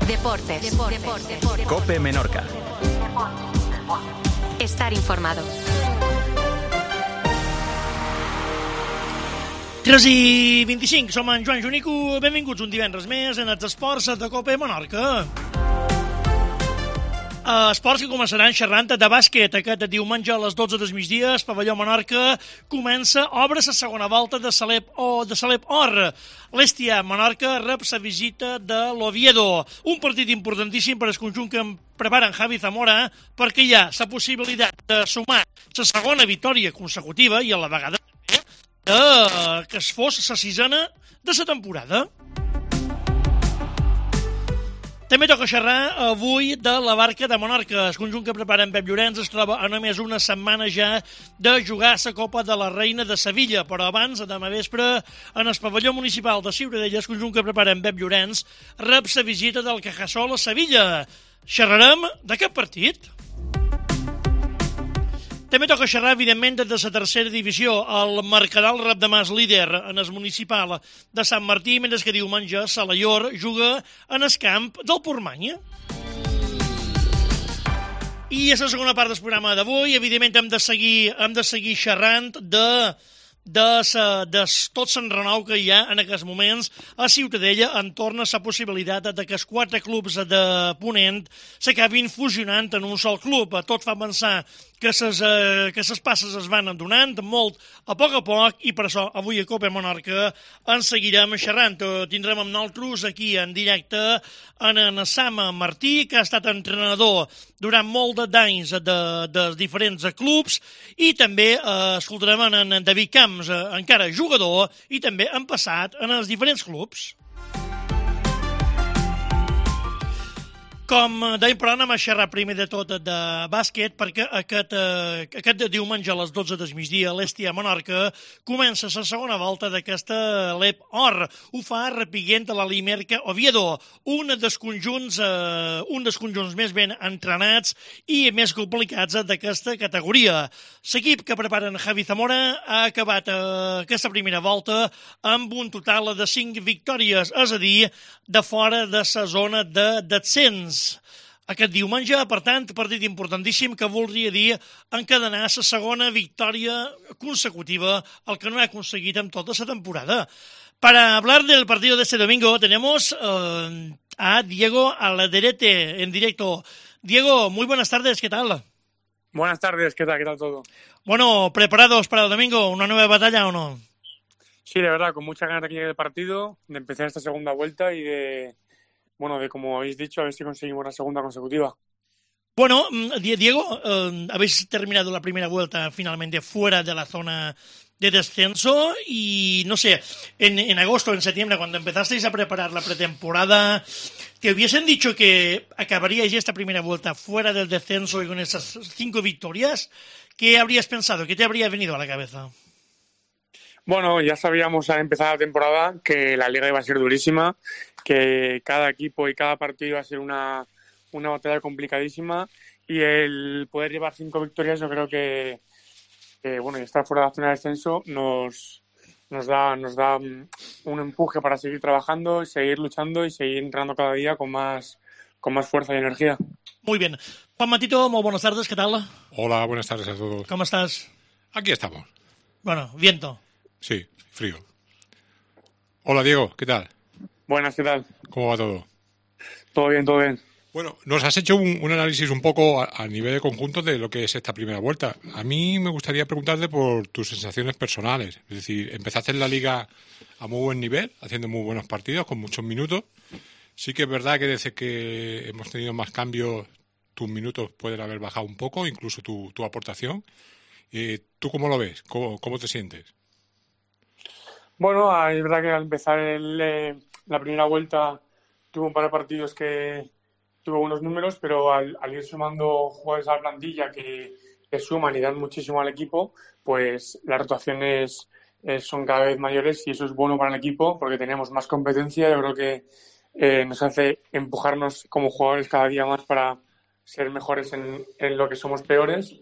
Deportes. COPE Menorca. Estar informado. 3:25, som en Joan Junico. Benvinguts un divendres més en els esports de COPE Menorca. Esports que començaran xerrant de bàsquet. Aquest diumenge a les 12 del migdia, el pavelló Menorca obre la segona volta de Salep Or. L'Estia Menorca rep la visita de l'Oviedo. Un partit importantíssim per al conjunt que preparen Javi Zamora, perquè hi ha la possibilitat de sumar la segona victòria consecutiva i a la vegada que es fos la sisena de la temporada. També toca xerrar avui de la Barca de Menorca. El conjunt que prepara en Pep Llorenç es troba a només una setmana ja de jugar la Copa de la Reina de Sevilla, però abans, demà vespre, en el pavelló municipal de Ciutadella, el conjunt que prepara en Pep Llorenç rep la visita del Cajasol a Sevilla. Xerrarem d'aquest partit. També toca xerrar, evidentment, des de la tercera divisió. El Mercadal rep demà el líder en el municipal de Sant Martí, mentre que diumenge Salaior juga en el camp del Portmany. I és la segona part del programa d'avui. Evidentment, hem de seguir xerrant de tot l'enrenou que hi ha en aquests moments a Ciutadella entorn a la possibilitat de que els 4 clubs de Ponent s'acabin fusionant en un sol club. Tot fa pensar que les passes es van donant molt a poc, i per això avui a COPE Menorca en seguirem xerrant. Tindrem amb nosaltres aquí en directe en Sam Martí, que ha estat entrenador durant molt d'anys de diferents clubs, i també escoltarem en David Camps, encara jugador i també en passat en els diferents clubs. Com dèiem, però anem a xerrar primer de tot de bàsquet, perquè aquest diumenge a les 12 del migdia l'Estia Menorca comença la segona volta d'aquesta LEP Or. Ho fa repiguent a la Limerca Oviedo, un dels conjunts més ben entrenats i més complicats d'aquesta categoria. L'equip que preparen Javi Zamora ha acabat aquesta primera volta amb un total de 5 victòries, és a dir, de fora de la zona de descens. Aquest diumenge, per tant, partit importantíssim que voldria dir encadenar la segona victòria consecutiva, el que no ha aconseguit en tota la temporada. Para hablar del partido de este domingo tenemos a Diego Alderete en directo. Diego, muy buenas tardes, ¿qué tal? Buenas tardes, ¿qué tal? ¿Qué tal todo? Bueno, ¿preparados para el domingo? ¿Una nueva batalla o no? Sí, de verdad, con muchas ganas de que llegue el partido, de empezar esta segunda vuelta y de como habéis dicho, a ver si conseguimos la segunda consecutiva. Bueno, Diego, habéis terminado la primera vuelta finalmente fuera de la zona de descenso y, no sé, en agosto, en septiembre, cuando empezasteis a preparar la pretemporada, ¿te hubiesen dicho que acabaríais esta primera vuelta fuera del descenso y con esas 5 victorias? ¿Qué habrías pensado? ¿Qué te habría venido a la cabeza? Bueno, ya sabíamos al empezar la temporada que la liga iba a ser durísima, que cada equipo y cada partido iba a ser una batalla complicadísima, y el poder llevar 5 victorias, yo creo que y estar fuera de la zona de descenso nos da un empuje para seguir trabajando, seguir luchando y seguir entrenando cada día con más fuerza y energía. Muy bien. Juan Matito, muy buenas tardes, ¿qué tal? Hola, buenas tardes a todos. ¿Cómo estás? Aquí estamos. Bueno, viento. Sí, frío. Hola, Diego, ¿qué tal? Buenas, ¿qué tal? ¿Cómo va todo? Todo bien, todo bien. Bueno, nos has hecho un análisis un poco a nivel de conjunto de lo que es esta primera vuelta. A mí me gustaría preguntarte por tus sensaciones personales. Es decir, empezaste en la liga a muy buen nivel, haciendo muy buenos partidos, con muchos minutos. Sí que es verdad que desde que hemos tenido más cambios, tus minutos pueden haber bajado un poco, incluso tu aportación. ¿Tú cómo lo ves? ¿Cómo te sientes? Bueno, es verdad que al empezar la primera vuelta tuve un par de partidos que tuve buenos números, pero al ir sumando jugadores a la plantilla que suman y dan muchísimo al equipo, pues las rotaciones son cada vez mayores, y eso es bueno para el equipo porque tenemos más competencia. Yo creo que nos hace empujarnos como jugadores cada día más para ser mejores en lo que somos peores,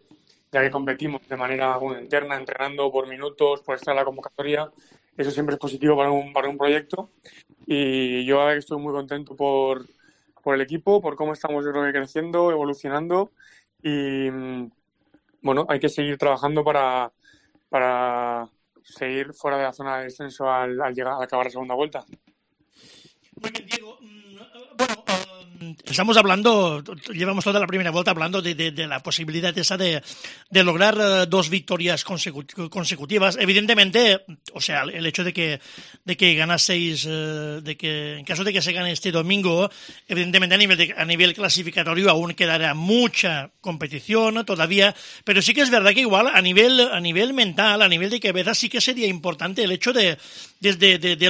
ya que competimos de manera interna, entrenando por minutos, por estar en la convocatoria. Eso siempre es positivo para un proyecto, y yo estoy muy contento por por el equipo, por cómo estamos, yo creo que creciendo, evolucionando y bueno, hay que seguir trabajando para seguir fuera de la zona de descenso al acabar la segunda vuelta. Muy bien, Diego. Bueno, estamos hablando, llevamos toda la primera vuelta hablando de la posibilidad esa de lograr 2 victorias consecutivas. Evidentemente, o sea, el hecho de que ganaseis, de que en caso de que se gane este domingo, evidentemente a nivel clasificatorio aún quedará mucha competición todavía, pero sí que es verdad que igual a nivel mental, a nivel de cabeza, sí que sería importante el hecho de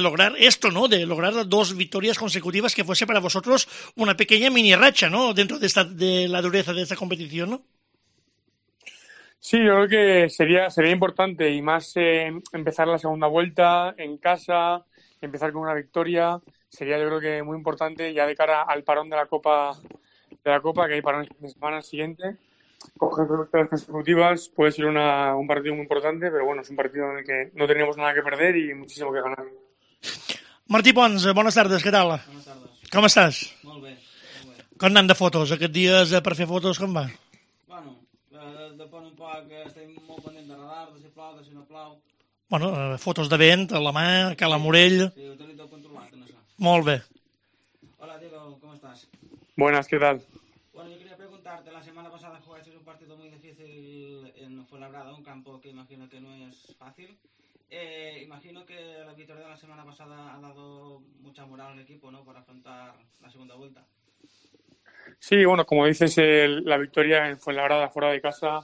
lograr esto, ¿no? De lograr 2 victorias consecutivas que fuese para vosotros una pequeña mini racha, ¿no? Dentro de la dureza de esta competición, ¿no? Sí, yo creo que sería importante y más empezar la segunda vuelta en casa, empezar con una victoria, sería yo creo que muy importante ya de cara al parón de la Copa, que hay parón el fin de semana siguiente. Coger 2 victorias consecutivas puede ser un partido muy importante, pero bueno, es un partido en el que no tenemos nada que perder y muchísimo que ganar. Martí Pons, bones tardes, què tal? Bones tardes. Com estàs? Molt bé. Com anant de fotos? Aquests dies per fer fotos com va? Bueno, depèn un poc, estem molt pendents de radar, de si plou, de si no plou. Bueno, fotos de vent, a la mà, a Cala Morell... Sí, ho tenim tot controlat, en això. Molt bé. Hola, Diego, ¿cómo estás? Buenas, ¿qué tal? Bueno, yo quería preguntarte, la semana pasada jugaste un partido muy difícil en Fuenlabrada, un campo que imagino que no es fácil. Imagino que la victoria de la semana pasada ha dado mucha moral al equipo, ¿no?, para afrontar la segunda vuelta. Sí, bueno, como dices, la victoria en Fuenlabrada fuera de casa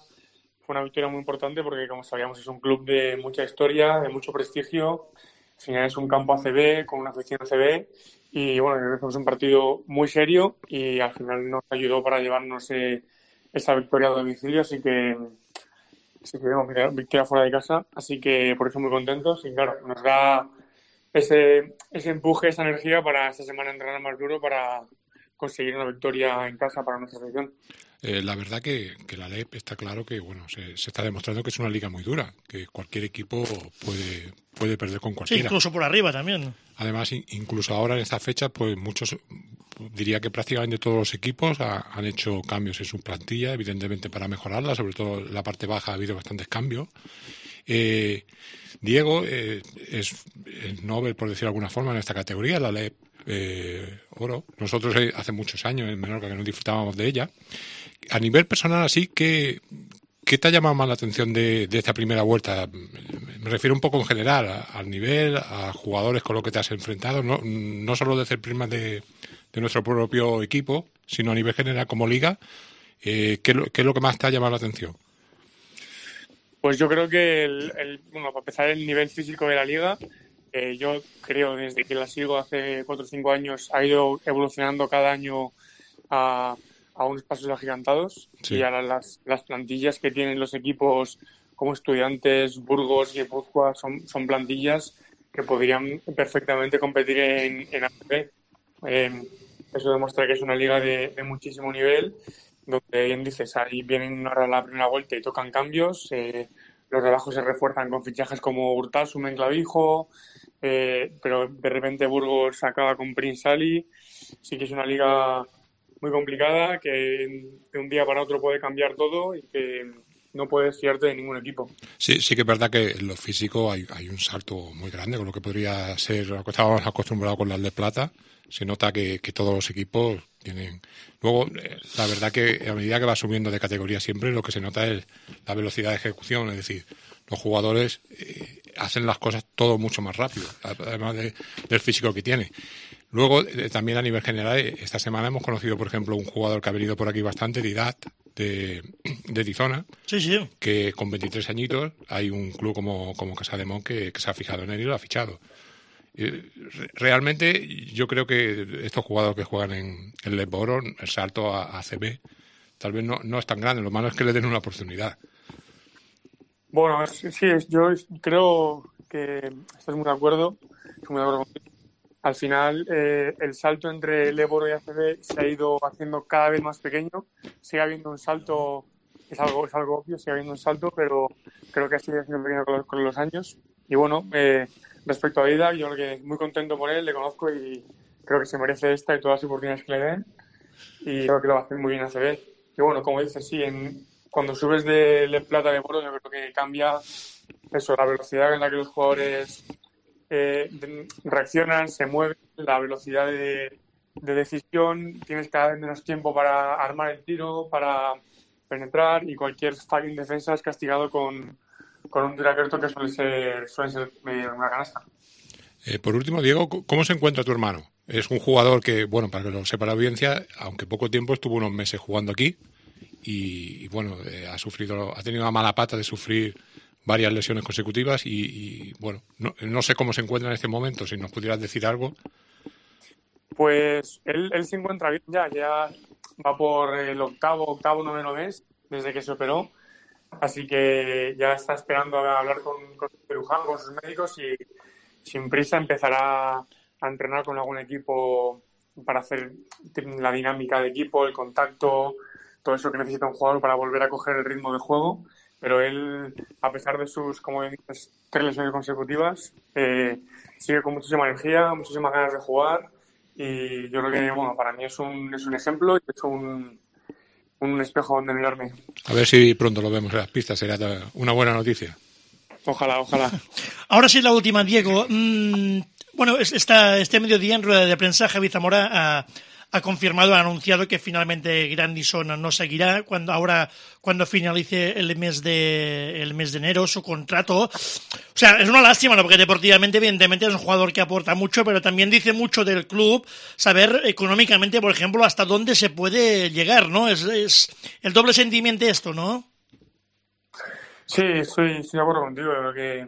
fue una victoria muy importante porque, como sabíamos, es un club de mucha historia, de mucho prestigio. Al final es un campo ACB con una afición ACB y, bueno, creo que fue un partido muy serio y al final nos ayudó para llevarnos esa victoria a domicilio, así que victoria fuera de casa, así que por eso muy contentos y claro, nos da ese empuje, esa energía para esta semana entrenar más duro para conseguir una victoria en casa para nuestra selección. La verdad que la LEP está claro que bueno se está demostrando que es una liga muy dura, que cualquier equipo puede perder con cualquiera. Sí, incluso por arriba también. Además, incluso ahora en esta fecha, pues muchos, diría que prácticamente todos los equipos han hecho cambios en su plantilla, evidentemente para mejorarla, sobre todo en la parte baja ha habido bastantes cambios. Diego es Nobel, por decirlo de alguna forma, en esta categoría, la LEP Oro. Nosotros hace muchos años en Menorca que no disfrutábamos de ella. A nivel personal, así, ¿qué te ha llamado más la atención de esta primera vuelta? Me refiero un poco en general, al nivel, a jugadores con los que te has enfrentado, no solo desde el prisma de nuestro propio equipo, sino a nivel general como liga. ¿Qué es lo que más te ha llamado la atención? Pues yo creo que, bueno, para empezar, el nivel físico de la liga, yo creo desde que la sigo hace 4 o 5 años, ha ido evolucionando cada año a unos pasos agigantados. Sí. Y ahora las plantillas que tienen los equipos como Estudiantes, Burgos y Guipúzcoa son plantillas que podrían perfectamente competir en ACB. Eso demuestra que es una liga de muchísimo nivel, donde bien dices, ahí vienen ahora la primera vuelta y tocan cambios, los de abajo se refuerzan con fichajes como Hurtasun en Clavijo, pero de repente Burgos acaba con Prince Ali. Sí que es una liga muy complicada, que de un día para otro puede cambiar todo y que no puedes fiarte de ningún equipo. Sí que es verdad que en lo físico hay un salto muy grande con lo que podría ser lo que estábamos acostumbrados con las de plata. Se nota que todos los equipos tienen... Luego, la verdad que a medida que va subiendo de categoría siempre, lo que se nota es la velocidad de ejecución, es decir, los jugadores hacen las cosas todo mucho más rápido, además del físico que tiene. Luego, también a nivel general, esta semana hemos conocido, por ejemplo, un jugador que ha venido por aquí bastante, Didat, de Tizona, sí. Que con 23 añitos hay un club como Casademont que se ha fijado en él y lo ha fichado. Realmente, yo creo que estos jugadores que juegan en LEP Oro, el salto a ACB, tal vez no es tan grande, lo malo es que le den una oportunidad. Bueno, sí, yo creo que estás muy de acuerdo, estoy muy de acuerdo contigo. Al final, el salto entre LEP Oro y ACB se ha ido haciendo cada vez más pequeño. Sigue habiendo un salto, es algo obvio, sigue habiendo un salto, pero creo que ha sido haciendo pequeño con los años. Y bueno, respecto a Ida, yo creo que muy contento por él, le conozco y creo que se merece esta y todas las oportunidades que le den. y creo que lo va a hacer muy bien ACB. Y bueno, como dices, sí, cuando subes de plata a de oro, yo creo que cambia eso, la velocidad en la que los jugadores reaccionan, se mueven, la velocidad de decisión, tienes cada vez menos tiempo para armar el tiro, para penetrar, y cualquier fallo en defensa es castigado con un tiro abierto que suele ser una canasta. Por último, Diego, ¿cómo se encuentra tu hermano? Es un jugador que, bueno, para que lo sepa la audiencia, aunque poco tiempo, estuvo unos meses jugando aquí y bueno, ha tenido la mala pata de sufrir varias lesiones consecutivas y bueno, no sé cómo se encuentra en este momento, si nos pudieras decir algo. Pues él se encuentra bien ya va por el octavo, noveno mes desde que se operó, así que ya está esperando a hablar con el cirujano, con sus médicos, y sin prisa empezará a entrenar con algún equipo para hacer la dinámica de equipo, el contacto, todo eso que necesita un jugador para volver a coger el ritmo de juego. Pero él, a pesar de sus, como dices, 3 lesiones consecutivas, sigue con muchísima energía, muchísimas ganas de jugar, y yo creo que, bueno, para mí es un ejemplo y es un espejo donde mirarme. A ver si pronto lo vemos en las pistas, será una buena noticia. Ojalá. Ahora sí, la última, Diego. Bueno, este mediodía en rueda de prensa Javi Zamora ha confirmado, ha anunciado que finalmente Grandison no seguirá cuando finalice el mes de enero su contrato. O sea, es una lástima, ¿no? Porque deportivamente, evidentemente, es un jugador que aporta mucho, pero también dice mucho del club saber económicamente, por ejemplo, hasta dónde se puede llegar, ¿no? Es el doble sentimiento esto, ¿no? Sí, estoy de acuerdo contigo. Creo que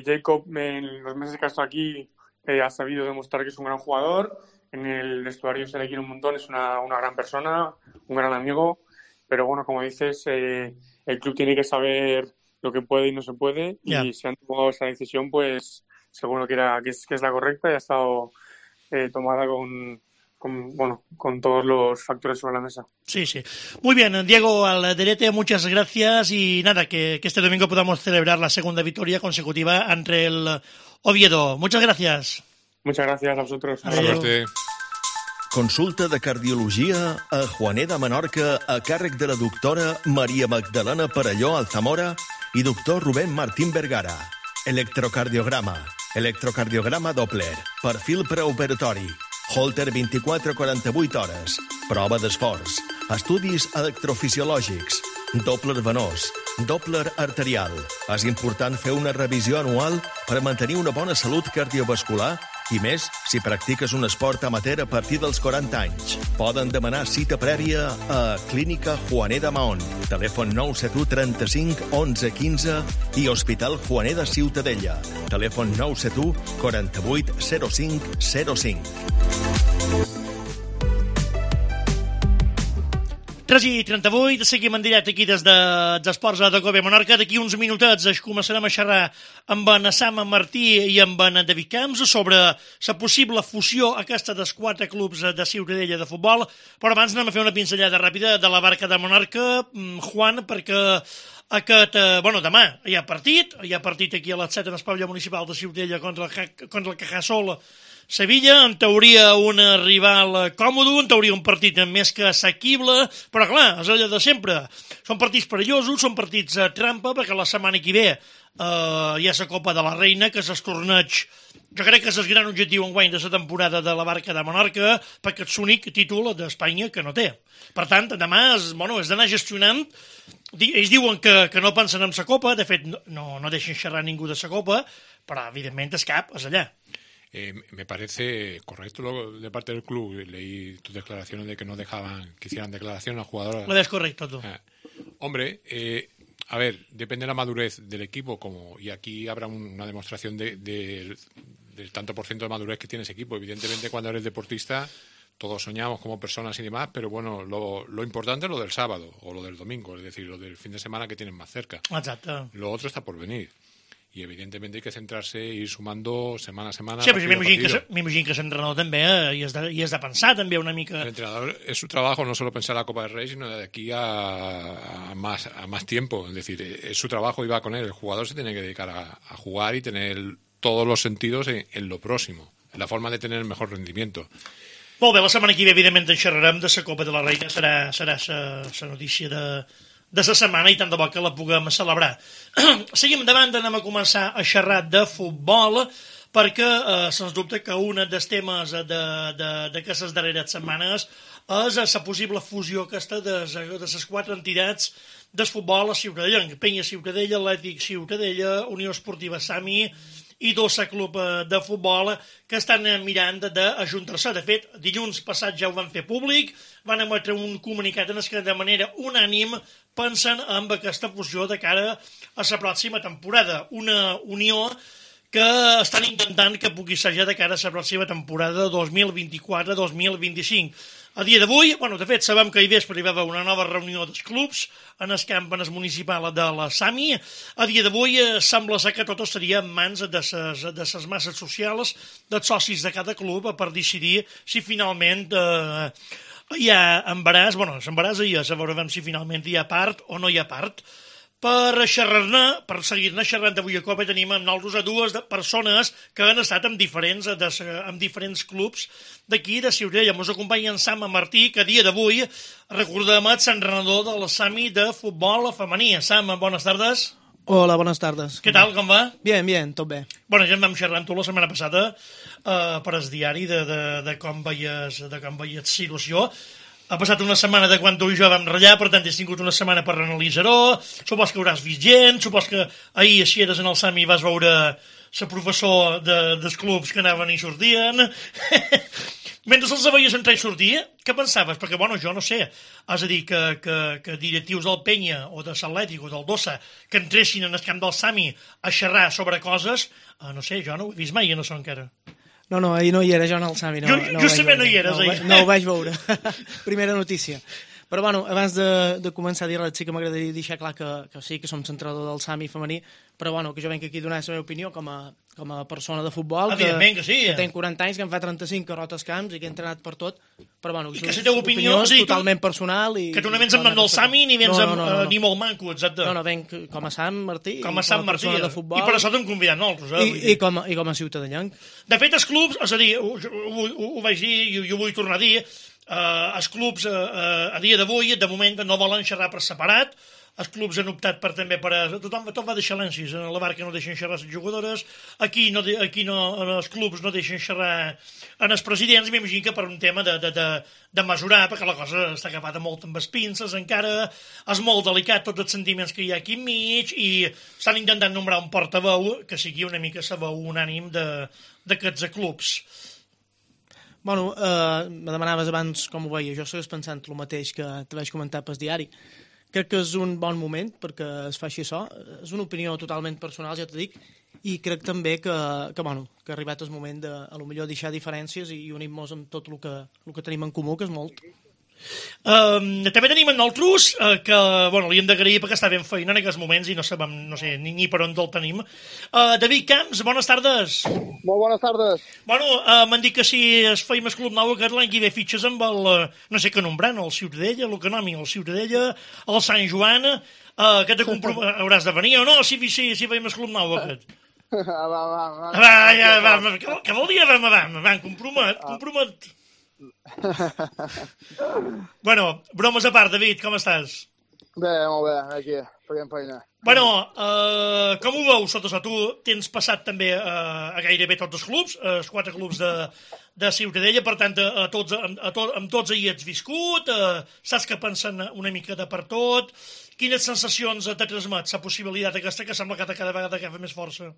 Jacob, en los meses que ha estado aquí, ha sabido demostrar que es un gran jugador. En el vestuario se le quiere un montón, es una gran persona, un gran amigo, pero bueno, como dices, el club tiene que saber lo que puede y no se puede, y si han tomado esa decisión, pues seguro que es la correcta y ha estado tomada con todos los factores sobre la mesa. Sí. Muy bien, Diego Alderete, muchas gracias, y nada, que este domingo podamos celebrar la segunda victoria consecutiva ante el Oviedo. Muchas gracias. Muchas gracias a vosotros. Consulta de cardiologia a Juaner de Menorca a càrrec de la doctora Maria Magdalena Perelló Alzamora i doctor Rubén Martín Vergara. Electrocardiograma Doppler, perfil preoperatori, Holter 24-48 hores, prova d'esforç, estudis electrofisiològics, Doppler venós, Doppler arterial. És important fer una revisió anual per mantenir una bona salut cardiovascular, i més si practiques un esport amateur a partir dels 40 anys. Poden demanar cita prèvia a Clínica Juaner de Mahón, telèfon 971 35 11 15, i Hospital Juaner de Ciutadella, telèfon 971 48 05 05. 3:38, seguim en directe aquí des d'Esports de Cope Menorca. D'aquí uns minutets començarem a xerrar amb en Sam Martí i amb en David Camps sobre la possible fusió aquesta dels 4 clubs de Ciutadella de futbol, però abans anem a fer una pinzellada ràpida de la barca de Menorca, Juan, perquè demà hi ha partit aquí a les 7 en el pavelló municipal de Ciutadella contra el Cajasol Sevilla, en teoria un rival còmode, en teoria un partit més que assequible, però clar, és allò de sempre. Són partits perillosos, són partits trampa, perquè la setmana que ve hi ha la Copa de la Reina, que és el torneig, jo crec que és el gran objectiu enguany de la temporada de la barca de Menorca, perquè és l'únic títol d'Espanya que no té. Per tant, demà és d'anar gestionant. Ells diuen que no pensen en la Copa, de fet no deixen xerrar ningú de la Copa, però evidentment el cap és allà. Me parece correcto de parte del club. Leí tus declaraciones de que no dejaban que hicieran declaración a jugadores. Lo ves correcto tú. Hombre, a ver, depende de la madurez del equipo, y aquí habrá una demostración del tanto por ciento de madurez que tiene ese equipo. Evidentemente, cuando eres deportista, todos soñamos como personas y demás, pero bueno, lo importante es lo del sábado o lo del domingo, es decir, lo del fin de semana que tienen más cerca. Exacto. Lo otro está por venir. Y evidentemente hay que centrarse e ir sumando semana a semana. Sí, però m'imagino que l'entrenador també hi has de pensar també una mica. El entrenador es su trabajo no solo pensar la Copa del Rey, sino de aquí a más tiempo. Es decir, es su trabajo y va con él. El jugador se tiene que dedicar a jugar y tener todos los sentidos en lo próximo, en la forma de tener el mejor rendimiento. Molt bé, la setmana que ve, evidentment, en xerrarem de la Copa de la Reina. Serà la notícia de la setmana i tant de bo que la puguem celebrar. Seguim endavant, anem a començar a xerrar de futbol, perquè sens dubte que un dels temes d'aquestes darreres setmanes és la possible fusió aquesta de les 4 entitats del futbol a Ciutadella, Penya Ciutadella, Atlètic Ciutadella, Unió Esportiva Sami i Dossa Club de Futbol, que estan mirant d'ajuntar-se. De fet, dilluns passat ja ho van fer públic, van emetre un comunicat en què de manera unànime pensen en aquesta fusió de cara a la pròxima temporada. Una unió que estan intentant que pugui ser ja de cara a la pròxima temporada 2024-2025. A dia d'avui, de fet, sabem que ahir vespre hi va haver una nova reunió dels clubs en el camp municipal de la Sami. A dia d'avui sembla ser que tot estaria en mans de les masses socials, dels socis de cada club, per decidir si finalment hi ha embaràs. L'embaràs hi és, a veure si finalment hi ha part o no hi ha part. Per seguir-ne xerrant avui a Copa, tenim amb nosaltres a dues persones que han estat amb diferents clubs d'aquí, de Ciutadella. Ens acompanya en Sam Martí, que a dia d'avui, recordem, és l'entrenador de la Sami de futbol femení. Sam, bones tardes. Hola, buenas tardes. Què tal, com va? Bien, tot bé. Ja en vam xerrar amb tu la setmana passada per el diari de com veies situació. Ha passat una setmana de quan tu i jo vam ratllar, per tant, has tingut una setmana per analitzar-ho. Supos que hauràs vist gent, supos que ahir, si eres en el Sami, vas veure la professor dels clubs que anaven i sortien. Mentre els veies entrar i sortir, què pensaves? Perquè, jo no sé, és a dir, que directius del Penya o de l'Atlètic o del Dossa que entressin en el camp del Sami a xerrar sobre coses, no sé, jo no ho he vist mai, no sé encara. No, ahir no hi era jo en el Sami. Justament no hi eres ahir. No ho vaig veure. Primera notícia. Però, abans de començar a dir res, sí que m'agradaria deixar clar que sí, que som centrador del Sami femení, però, que jo venc aquí a donar la meva opinió com a persona de futbol, evidentment que sí, que tenc 40 anys, que em fa 35, que rota els camps i que he entrenat per tot, però, i que la teva opinió és totalment personal. Que tu no vens amb nom del Sami ni vens ni molt manco, exacte. No, venc com a Sam Martí, com a Persona de futbol. I per això t'hem convidat nosaltres. I com a ciutadellenc. De fet, els clubs, és a dir, ho vaig dir i ho vull tornar a dir, els clubs a dia d'avui, de moment, no volen xerrar per separat. Els clubs han optat també per... Tot va de xalencis. A la Barca no deixen xerrar les jugadores, aquí els clubs no deixen xerrar en els presidents. M'imagino que per un tema de mesurar, perquè la cosa està agafada molt amb les pinces encara, és molt delicat tots els sentiments que hi ha aquí enmig i estan intentant nombrar un portaveu que sigui una mica la veu unànim d'aquests clubs. Me demanaves abans com ho veia. Jo segueix pensant el mateix que te vaig comentar pel diari. Crec que és un bon moment perquè es faci això. És una opinió totalment personal, ja t'ho dic, i crec també que ha arribat el moment de, a lo millor, deixar diferències i unir-nos amb tot el que tenim en comú, que és molt. També tenim en nosaltres que li hem d'agrair perquè està ben feina en aquests moments i no sabem, ni per on el tenim. David Camps, bones tardes. Molt bones tardes. M'han dit que si es feim el club nou aquest l'any que ve fitxes amb el, no sé què nombrant, el Ciutadella, el Canòmic, el Ciutadella, el Sant Joan, que hauràs de venir o no, si feim el club nou aquest. Què vol dir compromet. Bromes a part, David, com estàs? Bé, molt bé, aquí, fent feina. Com ho veus, sota això? Tu tens passat també a gairebé tots els clubs, els 4 clubs de Ciutadella, per tant, amb tots hi ets viscut, saps que pensen una mica de per tot. Quines sensacions te transmet la possibilitat aquesta que sembla que cada vegada agafa més força?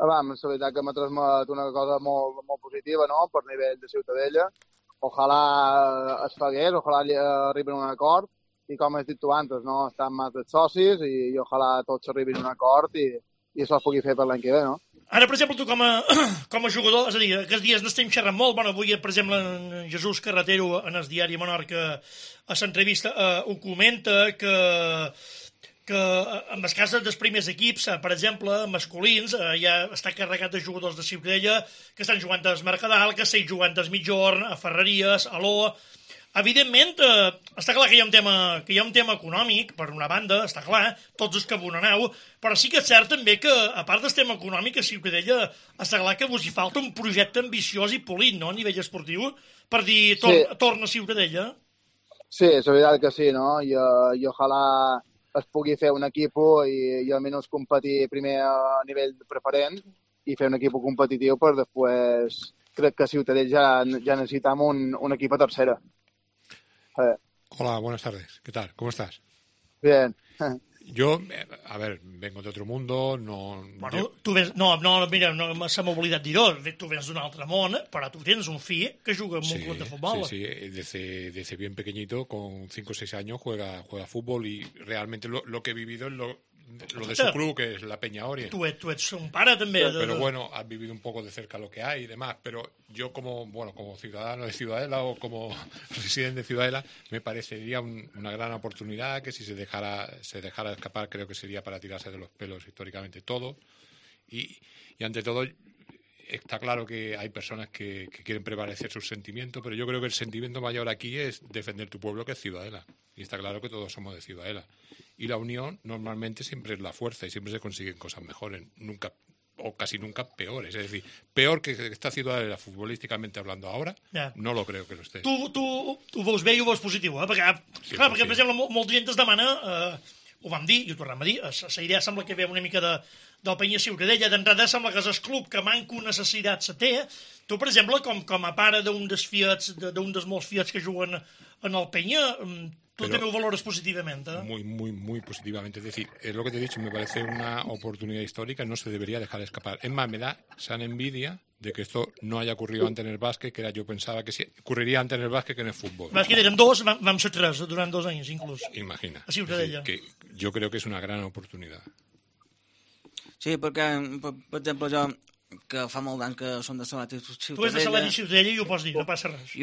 La veritat que m'ha transmet una cosa molt, molt positiva, no?, per nivell de Ciutadella. Ojalà es fagués, ojalà arribin a un acord i com has dit tu abans, no? Estan més dels socis i ojalà tots arribin a un acord i això es pugui fer per l'any que ve, no? Ara, per exemple, tu com a jugador, és a dir, aquests dies n'estem xerrant molt, avui, per exemple, en Jesús Carretero, en el diari Menorca, a l'entrevista, ho comenta que en el cas dels primers equips, per exemple, masculins, ja està carregat de jugadors de Ciutadella que estan jugant al Mercadal, que estan jugant al Mitjorn, a Ferreries, a l'O. evidentment, està clar que hi ha un tema econòmic, per una banda, està clar, tots els que abonaneu, però sí que és cert també que, a part del tema econòmic, a Ciutadella està clar que vos hi falta un projecte ambiciós i polit, no?, a nivell esportiu, per dir, torna a Ciutadella. Sí, és veritat que sí, no? I ojalà es pugui fer un equip i almenys competir primer a nivell preferent i fer un equip competitiu, per després crec que a Ciutadella ja necessitam un equip a tercera. Hola, buenas tardes. ¿Qué tal? ¿Cómo estás? Bien. Yo, a ver, vengo de otro mundo, no... Bueno, tu vens... No, mira, se m'ha oblidat dir-ho. Tu vens d'un altre món, però tu tens un fill que juga en un club de futbol. Sí, desde bien pequeñito, con 5 o 6 años, juega fútbol y realmente lo que he vivido es lo de su club, que es la Peña Orient. Tu ets un pare, també. Pero bueno, has vivido un poco de cerca lo que hay y demás, pero yo como ciudadano de Ciudadela o como residente de Ciudadela, me parecería una gran oportunidad que si se dejara escapar, creo que sería para tirarse de los pelos históricamente todo. Y ante todo, está claro que hay personas que quieren prevalecer sus sentimientos, pero yo creo que el sentimiento mayor aquí es defender tu pueblo, que es Ciudadela. Y está claro que todos somos de Ciudadela. Y la unión normalmente siempre es la fuerza y siempre se consiguen cosas mejores, nunca o casi nunca peores. Es decir, peor que esta Ciudadela futbolísticamente hablando ahora, no lo creo que lo esté. Tu ho veus bé i ho veus positiu, eh? Perquè per exemple, molta gent es demana, ho vam dir i ho tornem a dir, la idea sembla que ve una mica del Penya Ciutadella. D'entrada sembla que és el club que manco necessitat se té. Tu, per exemple, com a pare d'un dels molts fiats que juguen en el Penya, tú también lo valoras positivamente, ¿eh? Muy positivamente. Es decir, es lo que te he dicho, me parece una oportunidad histórica, no se debería dejar escapar. Es más, me da sana envidia de que esto no haya ocurrido antes en el básquet, que yo pensaba que sí, ocurriría antes en el básquet que en el fútbol. El básquet eren dos, vam ser tres durant 2 anys, inclús. Imagina. A Ciutadella. Es decir, que yo creo que es una gran oportunidad. Sí, perquè, per exemple, jo, que fa molt d'anys que som de Salat i Ciutadella... Tu ets de Salat i Ciutadella i ho pots dir, no passa res.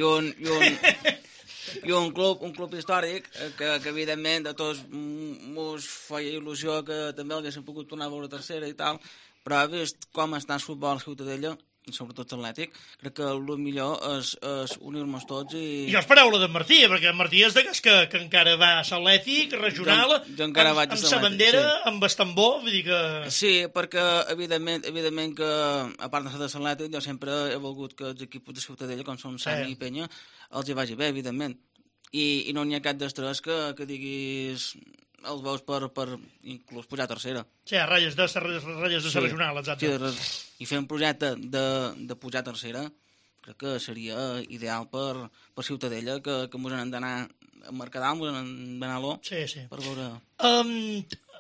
I un club històric que evidentment a tots mos feia il·lusió que també haguéssim pogut tornar a veure tercera i tal, però vist com està el futbol a Ciutadella, sobretot l'Atlètic, crec que el millor és unir-nos tots i... I jo és paraula d'en Martí, perquè en Martí és d'aquests que encara va a l'Atlètic, regional, amb sa bandera, amb el tambor, vull dir que... Sí, perquè evidentment que, a part de ser de l'Atlètic, jo sempre he volgut que els equips de Ciutadella, com són Sami i Penya, els hi vagi bé, evidentment. I no n'hi ha cap d'estrès que diguis els veus per inclús pujar a tercera. Sí, a ratlles de la regional, exacte. Sí, i fer un projecte de pujar a tercera crec que seria ideal per Ciutadella, que mos n'hem d'anar a Mercadal, mos n'hem d'anar a l'O. Sí. Per veure...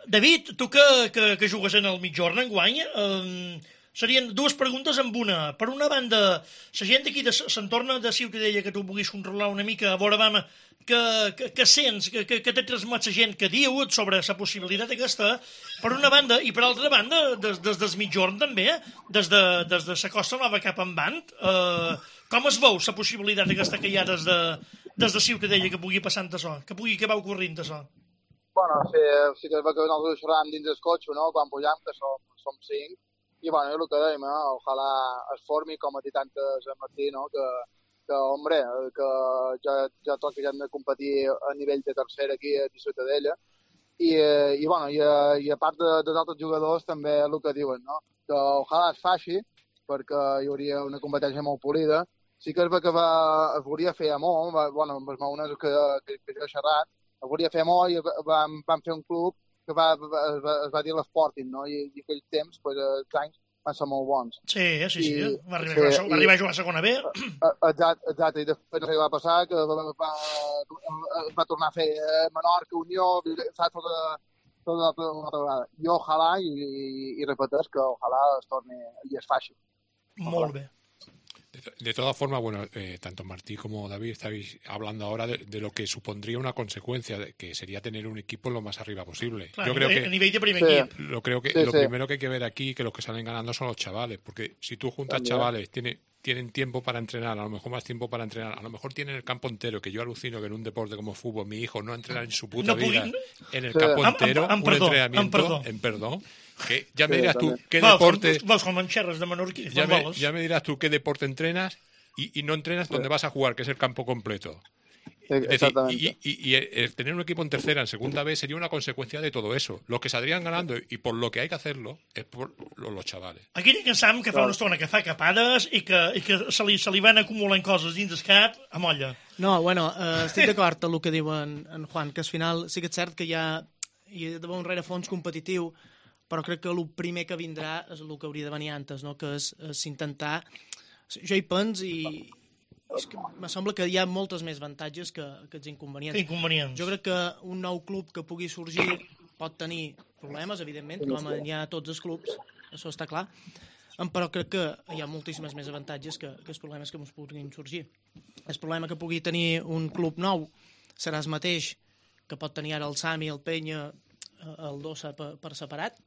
David, tu que jugues en el mitjorn enguany, serien 2 preguntes amb una. Per una banda, la gent d'aquí de l'entorn de Ciutadella que tu puguis controlar una mica, a veure, que sents, que t'ha transmet la gent que diu sobre la possibilitat aquesta, per una banda, i per altra banda, des del mitjorn també, des de la Costa Nova cap en Bant, com es veu la possibilitat aquesta que hi ha des de Ciutadella que pugui passar això, que va ocorrint això? Bueno, sí que nosaltres xerràvem dins del cotxe, no?, quan pujam, que som 5, i bueno, el que dèiem, ojalà es formi, com a dit antes a Martí, no?, que hombre, que ja toca ja hem de competir a nivell de tercera aquí a Ciutadella, i bueno, i a part dels altres jugadors també el que diuen, no?, que ojalà es faci, perquè hi hauria una competència molt polida. Sí que és que es volia fer a molt, bueno, amb els maunes que jo he xerrat, es volia fer molt i vam fer un club que es va dir l'Sporting, no?, i aquells temps, els anys, van ser molt bons. Sí. Va arribar a jugar a segona B. Exacte, i després no sé què va passar, que va tornar a fer Menorca, Unió, saps, tota una altra vegada. I ojalà, i repeteix, que ojalà es torni i es faci. Molt bé. De todas formas, bueno, tanto Martí como David estáis hablando ahora de lo que supondría una consecuencia, que sería tener un equipo lo más arriba posible. Claro, yo creo que a nivel de primer equipo. Lo primero que hay que ver aquí, que los que salen ganando son los chavales, porque si tú juntas chavales, tienen tiempo para entrenar, a lo mejor más tiempo para entrenar, a lo mejor tienen el campo entero, que yo alucino que en un deporte como fútbol mi hijo no entrena en su puta vida en el campo entero, un entrenamiento, perdón, que ya me dirás tú qué deporte... Vas con mancherras de Menorquí. Ya me dirás tú qué deporte entrenas y no entrenas donde vas a jugar, que es el campo completo. Exactamente. Y el tener un equipo en tercera, en segunda B, sería una consecuencia de todo eso. Los que saldrían ganando, y por lo que hay que hacerlo, es por los chavales. Aquí tinc en Sam que fa una estona que fa capades i que se li van acumulant coses dins del cap a molla. No, bueno, estic d'acord amb el que diu en Juan, que al final sí que és cert que hi ha d'haver un rerefons competitiu, però crec que el primer que vindrà és el que hauria de venir antes, no? Que és intentar... Jo hi penso i és que me sembla que hi ha moltes més avantatges que els inconvenients. Jo crec que un nou club que pugui sorgir pot tenir problemes, evidentment, com hi ha a tots els clubs, això està clar, però crec que hi ha moltíssimes més avantatges que els problemes que ens puguin sorgir. El problema que pugui tenir un club nou serà el mateix que pot tenir ara el Sami, el Penya, el Dossa per separat,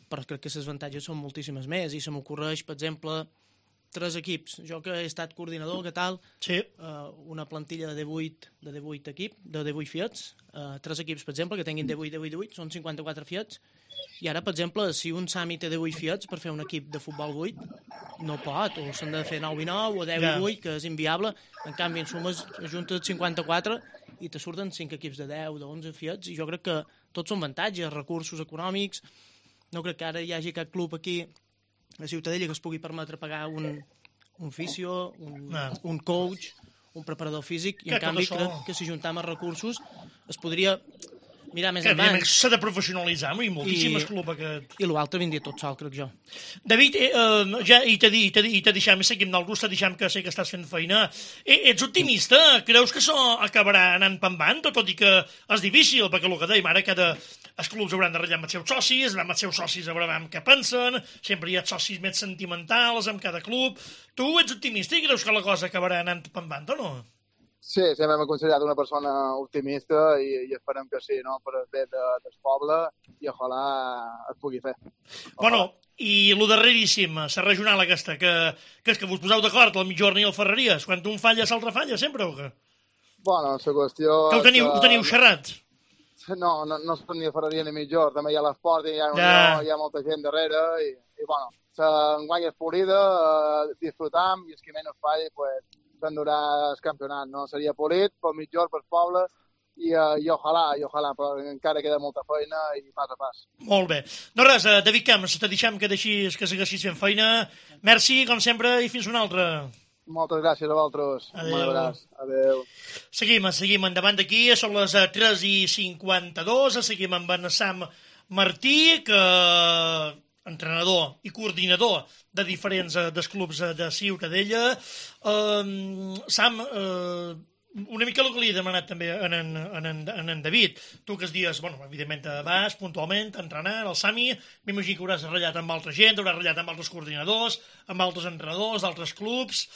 però crec que les avantatges són moltíssimes més i se m'ocorreix, per exemple, 3 equips. Jo que he estat coordinador, què tal? Sí. Una plantilla de 18 Fiats, 3 equips, per exemple, que tinguin 18, són 54 Fiats, i ara, per exemple, si un Sami té 18 Fiats per fer un equip de futbol 8, no pot, o s'han de fer 9 i 9, o 10 i 8, que és inviable. En canvi, en sumes, ajuntes 54 i te surten 5 equips de 10, de 11 Fiats, i jo crec que tots són avantatges, recursos econòmics. No crec que ara hi hagi cap club aquí a Ciutadella que es pugui permetre pagar un fisio, un coach, un preparador físic, i en canvi crec que si juntam els recursos es podria mirar més endavant. S'ha de professionalitzar, i moltíssimes clubs aquest. I l'altre vindria tot sol, crec jo. David, ja i te deixem, seguim del gust, te deixem que sé que estàs fent feina. Ets optimista? Creus que això acabarà anant pambant, tot i que és difícil, perquè el que dèiem ara, els clubs hauran de ratllar amb els seus socis, amb els seus socis veurem què pensen, sempre hi ha socis més sentimentals amb cada club. Tu ets optimista i creus que la cosa acabarà anant pambant o no? Sí, sempre m'he considerat una persona optimista i esperem que sí, no? Per el bé del poble, i ojalà es pugui fer. Bueno, i el darreríssim, la regional aquesta, que és que vos poseu d'acord, el Mitjorn i el Ferreries, quan un falla, l'altre falla, sempre, o què? Bueno, la qüestió... Que ho teniu xerrat? No són ni Ferreria ni Mitjorn, també hi ha l'esport i hi ha molta gent darrere, i bueno, enguany és polida, disfrutam, i el que menys falli, pues, s'endurà el campionat, no? Seria polit, pel Mitjorn, pel poble, i ojalà, però encara queda molta feina i pas a pas. Molt bé. No res, David Camps, te deixem que segueixis fent feina. Merci, com sempre, i fins una altra. Moltes gràcies a vosaltres. Adéu. Seguim endavant d'aquí, són les 3:52, seguim amb en Sam Martí, que entrenador i coordinador de diferents dels clubs de Ciutadella. Sam, una mica el que li he demanat també a en David. Tu que es dies, bueno, evidentment vas puntualment a entrenar al Sami, m'imagino que hauràs ratllat amb altra gent, hauràs ratllat amb altres coordinadors, amb altres entrenadors d'altres clubs.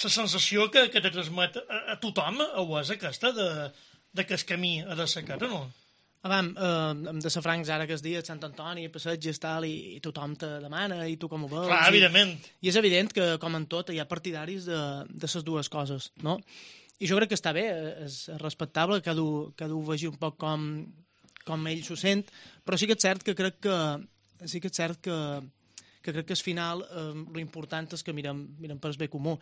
La sensació que te transmet a tothom ho és aquesta de que el camí ha de ser aquest, o no? Hem de ser francs ara que es dia Sant Antoni, passatges, tal, i tothom te demana, i tu com ho veus. Clar, evidentment. I és evident que, com en tot, hi ha partidaris de les dues coses, no? I jo crec que està bé, és respectable, cada un vegi un poc com ell s'ho sent, però sí que és cert que crec que al final l'important és que mirem per el bé comú.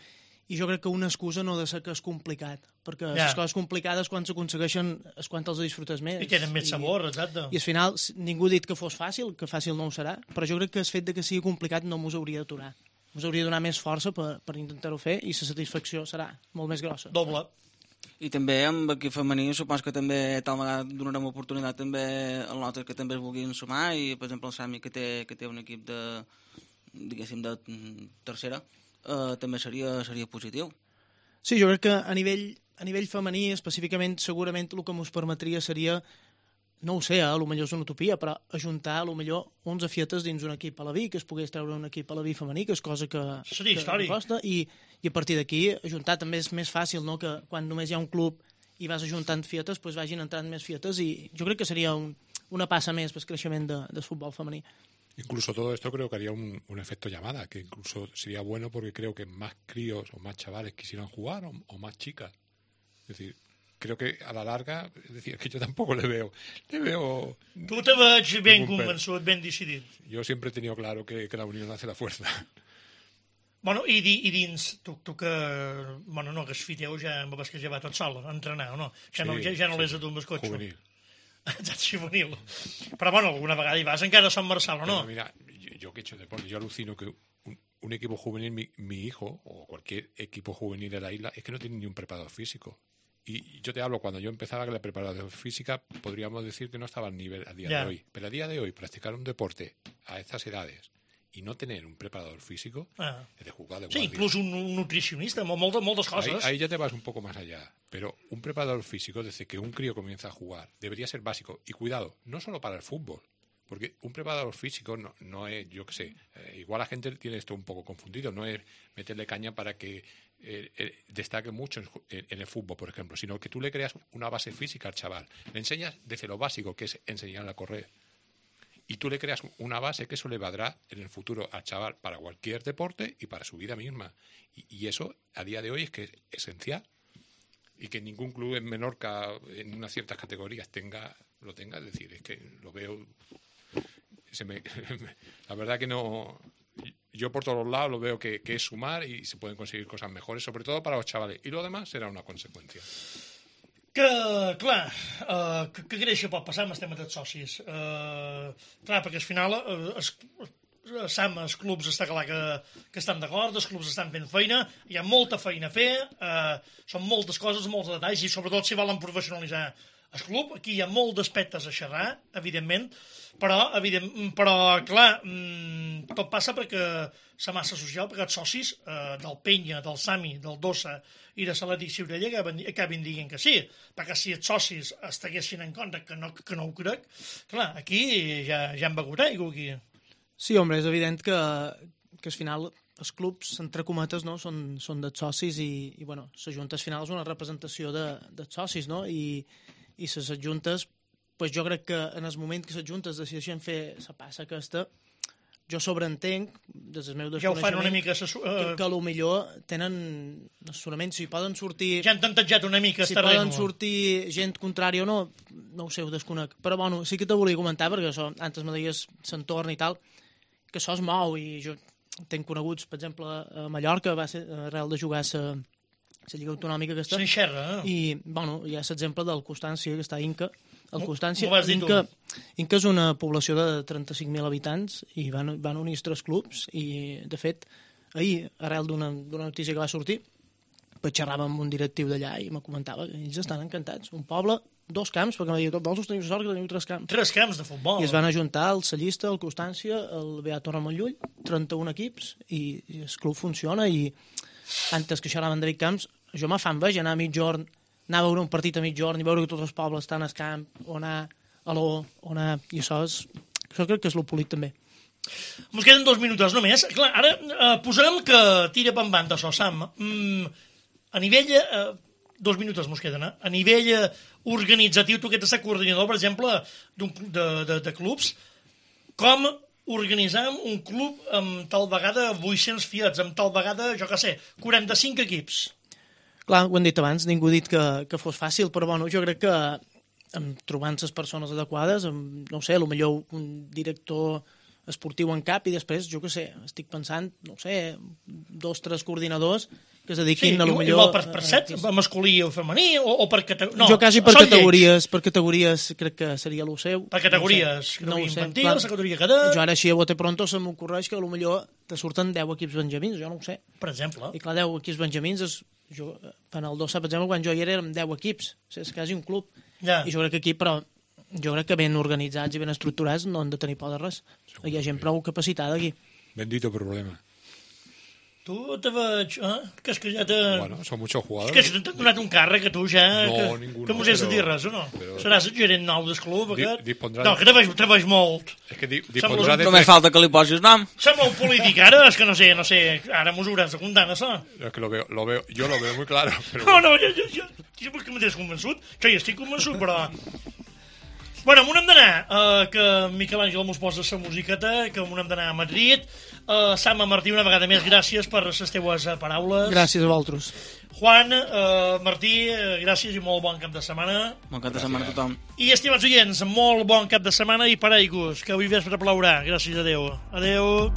I jo crec que una excusa no ha de ser que és complicat, perquè les coses complicades quan s'aconsegueixen és quan els disfrutes més. I tenen més sabor, exacte. I al final ningú ha dit que fos fàcil, que fàcil no ho serà, però jo crec que el fet de que sigui complicat no mos hauria d'aturar. Mos hauria de donar més força per intentar-ho fer i la satisfacció serà molt més grossa. Doble. I també amb l'equip femení supos que també tal vegada donarem oportunitat també als nostres que també es vulguin sumar, i per exemple el Sami que té un equip de tercera també seria positiu. Sí, jo crec que a nivell femení específicament segurament el que ens permetria seria, no ho sé, potser és una utopia, però ajuntar potser 11 fietes dins un equip a la vi, que es pogués treure un equip a la vi femení, que és cosa que costa, i a partir d'aquí ajuntar també és més fàcil, no? Que quan només hi ha un club i vas ajuntant fietes, doncs vagin entrant més fietes, i jo crec que seria una passa més pel creixement del futbol femení. Incluso todo esto creo que haría un efecto llamada, que incluso sería bueno porque creo que más críos o más chavales quisieran jugar o más chicas. Es decir, creo que a la larga, es decir, que yo tampoco le veo... Tu te veig ben convençut, ben decidit. Yo siempre he tenido claro que la unión hace la fuerza. Bueno, i dins, tu que... Bueno, no, que es fiteu ja amb el que ja va tot sol, a entrenar, o no? Ja no l'és a tu amb el cotxe. Juvenil. Juvenil. Però, bueno, alguna vegada hi vas encara a Sant Marçal, o no? Pero mira, yo que he hecho deporte, yo alucino que un equipo juvenil, mi hijo, o cualquier equipo juvenil de la isla, es que no tiene ni un preparador físico. Y yo te hablo, cuando yo empezaba que la preparación física, podríamos decir que no estaba al nivel a día de hoy. Pero a día de hoy, practicar un deporte a estas edades y no tener un preparador físico es de jugar de guardia. Sí, inclús un nutricionista, moltes coses. Ahí ya te vas un poco más allá. Pero un preparador físico, desde que un crío comienza a jugar, debería ser básico. Y cuidado, no solo para el fútbol. Porque un preparador físico no es, yo qué sé, igual la gente tiene esto un poco confundido, no es meterle caña para que destaque mucho en el fútbol, por ejemplo, sino que tú le creas una base física al chaval. Le enseñas desde lo básico, que es enseñarle a correr. Y tú le creas una base que eso le valdrá en el futuro al chaval para cualquier deporte y para su vida misma. Y eso, a día de hoy, es que es esencial. Y que ningún club en Menorca, en unas ciertas categorías, lo tenga. Es decir, es que lo veo... la verdad que no... Yo por todos lados lo veo que es sumar y se pueden conseguir cosas mejores, sobre todo para los chavales. Y lo demás será una consecuencia. Que, clar, que greix pot passar amb el tema dels socis. Clar, perquè al final Sam, els clubs està clar que estan d'acord, els clubs estan fent feina, hi ha molta feina a fer, són moltes coses, molts detalls, i sobretot si volen professionalitzar el club, aquí hi ha molts aspectes a xerrar, evidentment, però clar, tot passa perquè la massa social, perquè els socis del Penya, del Sami, del Dossa i de l'Atlètic Ciutadella acabin dient que sí, perquè si els socis estiguessin en compte, que no ho crec, clar, aquí ja han begut aigua, aquí. Sí, home, és evident que al final els clubs, entre cometes, no, són dels socis i bueno, la Junta al final és una representació dels socis, no? I les adjuntes, pues jo crec que en el moment que les juntes decideixen fer la passa aquesta, jo sobreentenc, des del meu desconeixement, ja ho fan una mica que potser tenen assessorament, si poden sortir... Ja han tantejat una mica si poden sortir gent contrària o no ho sé, ho desconec. Però bueno, sí que te volia comentar, perquè això, antes me deies l'entorn i tal, que això es mou, i jo tenc coneguts, per exemple, a Mallorca, va ser arrel de jugar la Lliga Autonòmica aquesta. S'enxerra, I, bueno, hi ha l'exemple del Constància, que està a Inca. El Constància, Inca és una població de 35.000 habitants i van unir els 3 clubs i, de fet, ahir, arrel d'una notícia que va sortir, pues xerrava amb un directiu d'allà i me comentava que ells estan encantats. Un poble, 2 camps, perquè m'ha dit, vols teniu sort que teniu 3 camps. 3 camps de futbol. I es van ajuntar el Cellista, el Constància, el Beat Torremollull, 31 equips, i el club funciona, i antes que xerraven de David Camps, jo me fa enveja anar a mitjorn, anar a veure un partit a mitjorn i veure que tots els pobles estan al camp, o anar a l'O, o anar... I això crec que és lo polit també. Ens queden 2 minuts només. Clar, ara posarem que tira per banda això, Sam. A nivell... 2 minuts ens queden, A nivell organitzatiu, tu que ets coordinador, per exemple, de clubs, com organitzem un club amb tal vegada 800 fiats, amb tal vegada, jo què sé, 45 equips? Clar, ho hem dit abans, ningú ha dit que fos fàcil, però bueno, jo crec que trobant les persones adequades, no ho sé, potser un director esportiu en cap i després, jo què sé, estic pensant, no ho sé, 2 o 3 coordinadors que es dediquin a lo millor... Igual per set, masculí o femení, o per categories... No, jo quasi per categories crec que seria el seu. Per categories, no infantil, la categoria cadet... Jo ara així a bote pronto se m'ocorreix que potser te surten 10 equips benjamins, jo no ho sé. Per exemple. I clar, 10 equips benjamins, en el Dossa, per exemple, quan jo hi era, érem 10 equips, és quasi un club. I jo crec que aquí, però jo crec que ben organitzats i ben estructurats no han de tenir por de res. Hi ha gent prou capacitada aquí. Bendito problema. Tu te veig... Que és que ja te... Bueno, son muchos jugadores. És que t'han donat un càrrec que tu ja... No, ningú que mos has de dir res, o no? Seràs el gerent nou del club, aquest? No, que te veig molt. És que dispondrà de... Només falta que li posis nom. Som molt polític, ara, és que no sé, ara mos hauràs de comptar, això. És que yo lo veo muy claro. Però... No, jo vols que m'has convençut? Que ja estic convençut, però... Bueno, m'ho hem d'anar, que Miquel Àngel mos posa la musiqueta, que m'ho hem d'anar a Madrid. Sam, Martí, una vegada més, gràcies per les teues paraules. Gràcies a vosaltres. Juan, Martí, gràcies i molt bon cap de setmana. Bon cap de setmana a tothom. I, estimats oients, molt bon cap de setmana i paraigües, que avui vespre plourà. Gràcies, adeu. Adeu.